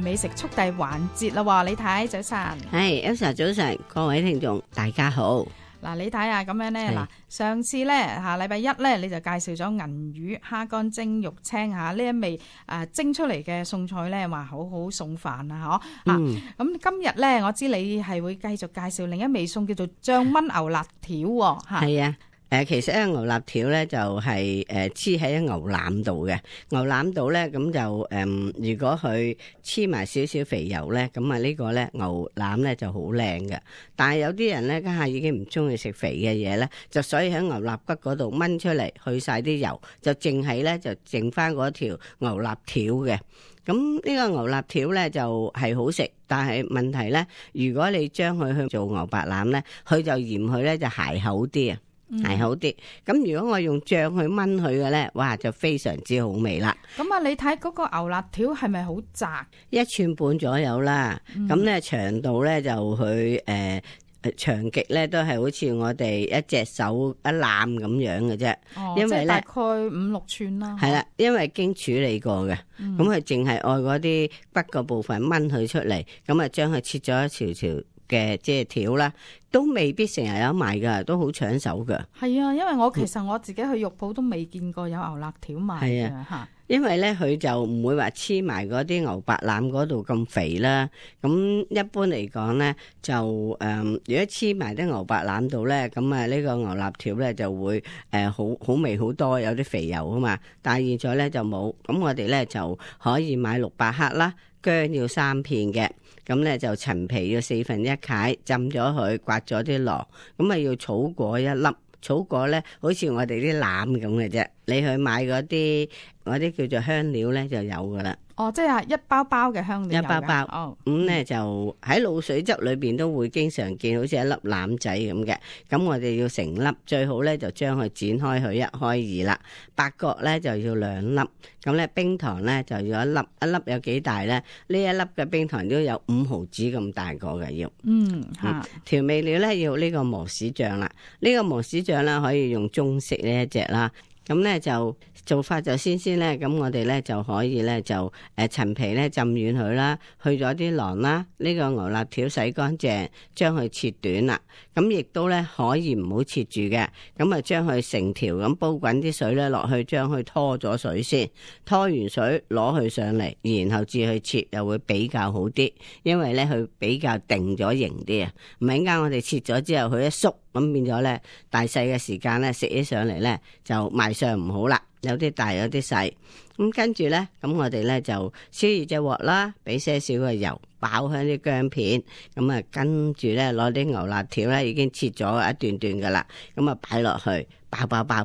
係美食速遞環節啦喎，李太早晨。係 Elsa 早晨，各位聽眾大家好。嗱，李太啊，咁樣咧，嗱，上次咧禮拜一咧，你就介紹咗銀魚蝦乾蒸肉青呢一味蒸出嚟嘅餸菜咧，話好好送飯啊，嗬。咁今日咧，我知你係會繼續介紹另一味餸叫做醬炆牛肋條喎，嚇。係啊。其實咧牛肋條咧就係黐喺牛腩度嘅，牛腩度咧咁就如果佢黐埋少少肥油咧，咁啊呢個咧牛腩咧就好靚嘅。但係有啲人咧家下已經唔中意食肥嘅嘢咧，就所以喺牛肋骨嗰度炆出嚟，去晒啲油，就淨係咧就剩翻嗰條牛肋條嘅。咁呢個牛肋條咧就係好食，但係問題咧，如果你將佢去做牛白腩咧，佢就嫌佢咧就鞋口啲啊。係好啲，咁如果我用醬去炆佢嘅咧，哇就非常之好味啦。咁啊，你睇嗰個牛肋條係咪好窄？1寸半左右啦，咁咧長度咧就佢長極咧都係好似我哋一隻手一攬咁樣嘅啫。因為咧大概5-6寸啦。係啦，因為經處理過嘅，咁佢淨係愛嗰啲骨個部分炆佢出嚟，咁啊將佢切咗一條條嘅即係條啦，都未必成日有賣噶，都好搶手噶。係啊，因為我其實我自己去肉鋪都未見過有牛肋條賣嘅嚇。因為咧佢就唔會話黐埋嗰啲牛白腩嗰度咁肥啦。咁一般嚟講咧就如果黐埋啲牛白腩度咧，咁啊呢個牛肋條咧就會好味好多，有啲肥油啊嘛。但係現在咧就冇，咁我哋咧就可以買600克啦，薑要3片嘅。咁咧就陳皮要1/4解，浸咗佢，刮咗啲螺，咁啊要草果1粒，草果咧好似我哋啲腩咁嘅啫，你去買嗰啲叫做香料咧就有噶啦。哦，即係一包包嘅香料。一包包。哦。咁咧就喺滷水汁裏邊都會經常見，好似一粒腩仔咁嘅。咁我哋要成粒，最好咧就將佢剪開佢1開2啦。八角咧就要2粒。咁咧冰糖咧就要1粒，一粒有幾大咧？呢一粒嘅冰糖都有5毫子咁大個嘅要。調味料咧要呢個磨豉醬啦。呢個磨豉醬咧可以用中式呢一隻啦。咁咧就做法就先咧，咁我哋咧就可以咧就陳皮咧浸軟佢啦，去咗啲囊啦，呢個牛肋條洗乾淨，將佢切短啦。咁亦都咧可以唔好切住嘅，咁啊將佢成條咁煲滾啲水咧落去，將佢拖咗水先，拖完水攞佢上嚟，然後至去切又會比較好啲，因為咧佢比較定咗型啲啊。唔係陣間我哋切咗之後佢一縮，咁變咗咧大細嘅時間咧食起上嚟咧就賣相唔好啦。有啲大有啲細，咁跟住咧，咁我哋咧就燒熱隻鑊啦，俾些少嘅油，爆香啲薑片，咁啊跟住咧攞啲牛肋條咧已經切咗一段段噶啦，咁啊擺落去，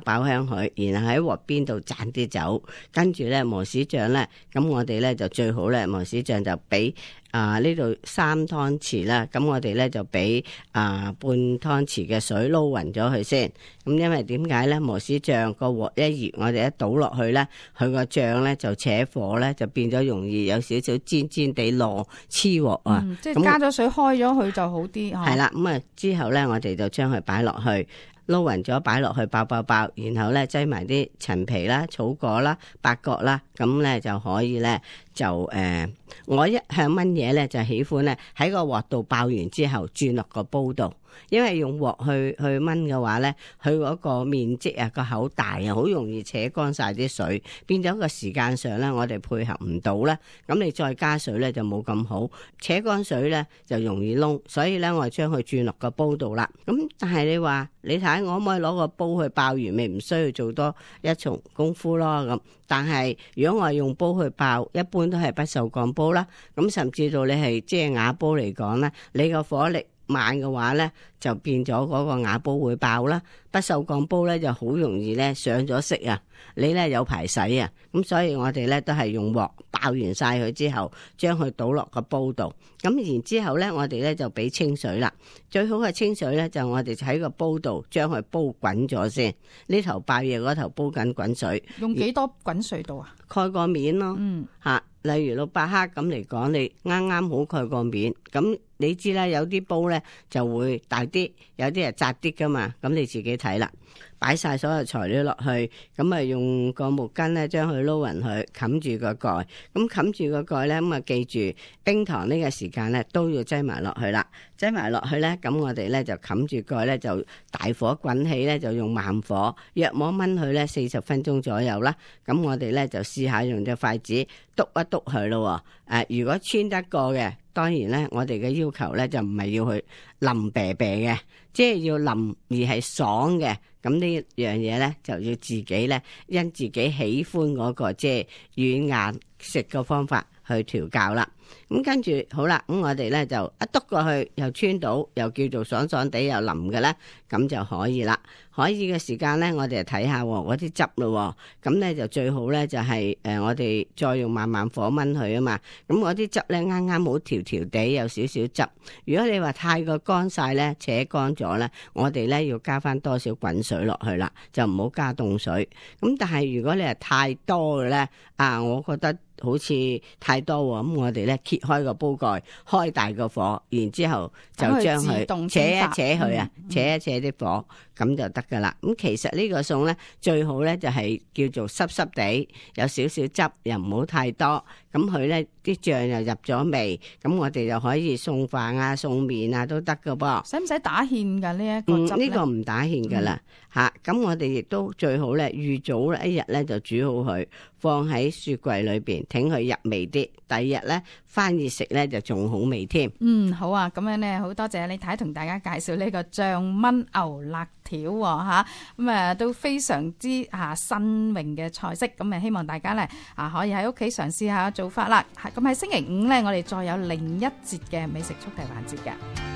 爆香佢，然後喺鑊邊度灒啲酒，跟住咧磨豉醬咧，咁我哋咧就最好咧磨豉醬就俾呢度3湯匙啦，咁我哋咧就俾半湯匙嘅水撈勻咗佢先。咁因為點解咧？磨豉醬個鑊一熱，我哋一倒落去咧，佢個醬咧就扯火咧，就變咗容易有少少煎煎地落黐鑊啊。即係加咗水開咗佢就好啲。係啦，咁啊之後咧，我哋就將佢擺落去，撈勻咗擺落去爆，然後咧擠埋啲陳皮啦、草果啦、八角啦，咁咧就可以咧就我一向炆嘢咧就喜歡咧喺個鑊度爆完之後轉落個煲度，因為用鑊去炆嘅話咧，佢嗰個面積啊個口大啊，好容易扯乾晒啲水，變咗個時間上咧我哋配合唔到咧，咁你再加水咧就冇咁好，扯乾水咧就容易燶，所以咧我將佢轉落個煲度啦。咁但係你話你睇我可唔可以攞個煲去爆完，咪唔需要做多一重功夫咯咁。但係如果我係用煲去爆，一般都係不鏽鋼煲啦。咁甚至到你係即係瓦煲嚟講咧，你個火力慢嘅話咧，就變咗嗰個瓦煲會爆啦。不鏽鋼煲咧就好容易咧上咗色啊，你咧有排洗啊。咁所以我哋咧都係用鑊爆完晒佢之後，將佢倒落個煲度。咁然之後咧，我哋咧就俾清水啦。最好嘅清水咧就我哋喺個煲度將佢煲滾咗先。呢頭爆嘢，嗰頭煲緊滾水。用幾多滾水度啊？蓋個面咯。例如600克咁嚟講，你啱啱好蓋個面，咁你知啦，有啲煲咧就會大啲，有啲係窄啲噶嘛，咁你自己睇啦。擺晒所有材料落去，咁啊用個毛巾咧將佢撈勻佢，冚住個蓋。咁冚住個蓋咧，咁啊記住冰糖呢個時間咧都要擠埋落去啦。擠埋落去咧，咁我哋咧就冚住蓋咧，就大火滾起咧，就用慢火，約摸燜佢咧40分鐘左右啦。咁我哋咧就試下用隻筷子篤一篤佢咯。如果穿得過嘅，當然咧我哋嘅要求咧就唔係要去腍啤啤嘅，即係要腍而係爽嘅。咁呢樣嘢咧就要自己咧因自己喜歡嗰個即係軟硬食嘅方法去調教啦。咁跟住好啦，咁我哋咧就一篤過去，又穿到，又叫做爽爽地又腍嘅咧，咁就可以啦。可以嘅時間咧，我哋就睇下嗰啲汁咯。咁咧就最好咧就係我哋再用慢慢火燜佢啊嘛。咁嗰啲汁咧啱啱好調調地，有少少汁。如果你話太過乾晒咧，扯乾咗咧，我哋咧要加翻多少滾水落去啦，就唔好加凍水。咁但係如果你係太多嘅咧，我覺得好似太多喎，咁我哋咧揭開個煲蓋，開大個火，然之後就將佢扯一扯佢啊，扯一扯啲火，咁就得噶啦。咁其實呢個餸咧最好咧就係叫做濕濕地，有少少汁，又唔好太多。咁佢咧啲醬又入咗味，咁我哋就可以餸飯啊、餸麵啊都得噶噃。使唔使打芡噶呢一個汁咧？呢個唔打芡噶啦嚇。咁我哋亦都最好咧預早一日咧就煮好佢，放喺雪櫃裏邊，挺佢入味啲。第二日咧翻熱食咧就仲好味添。好啊，咁樣咧好多謝李太同大家介紹呢個醬炆牛肋條嚇，咁都非常之新穎嘅菜式，咁希望大家咧可以喺屋企嘗試下做法啦。咁喺星期五咧，我哋再有另一節嘅美食速遞環節嘅。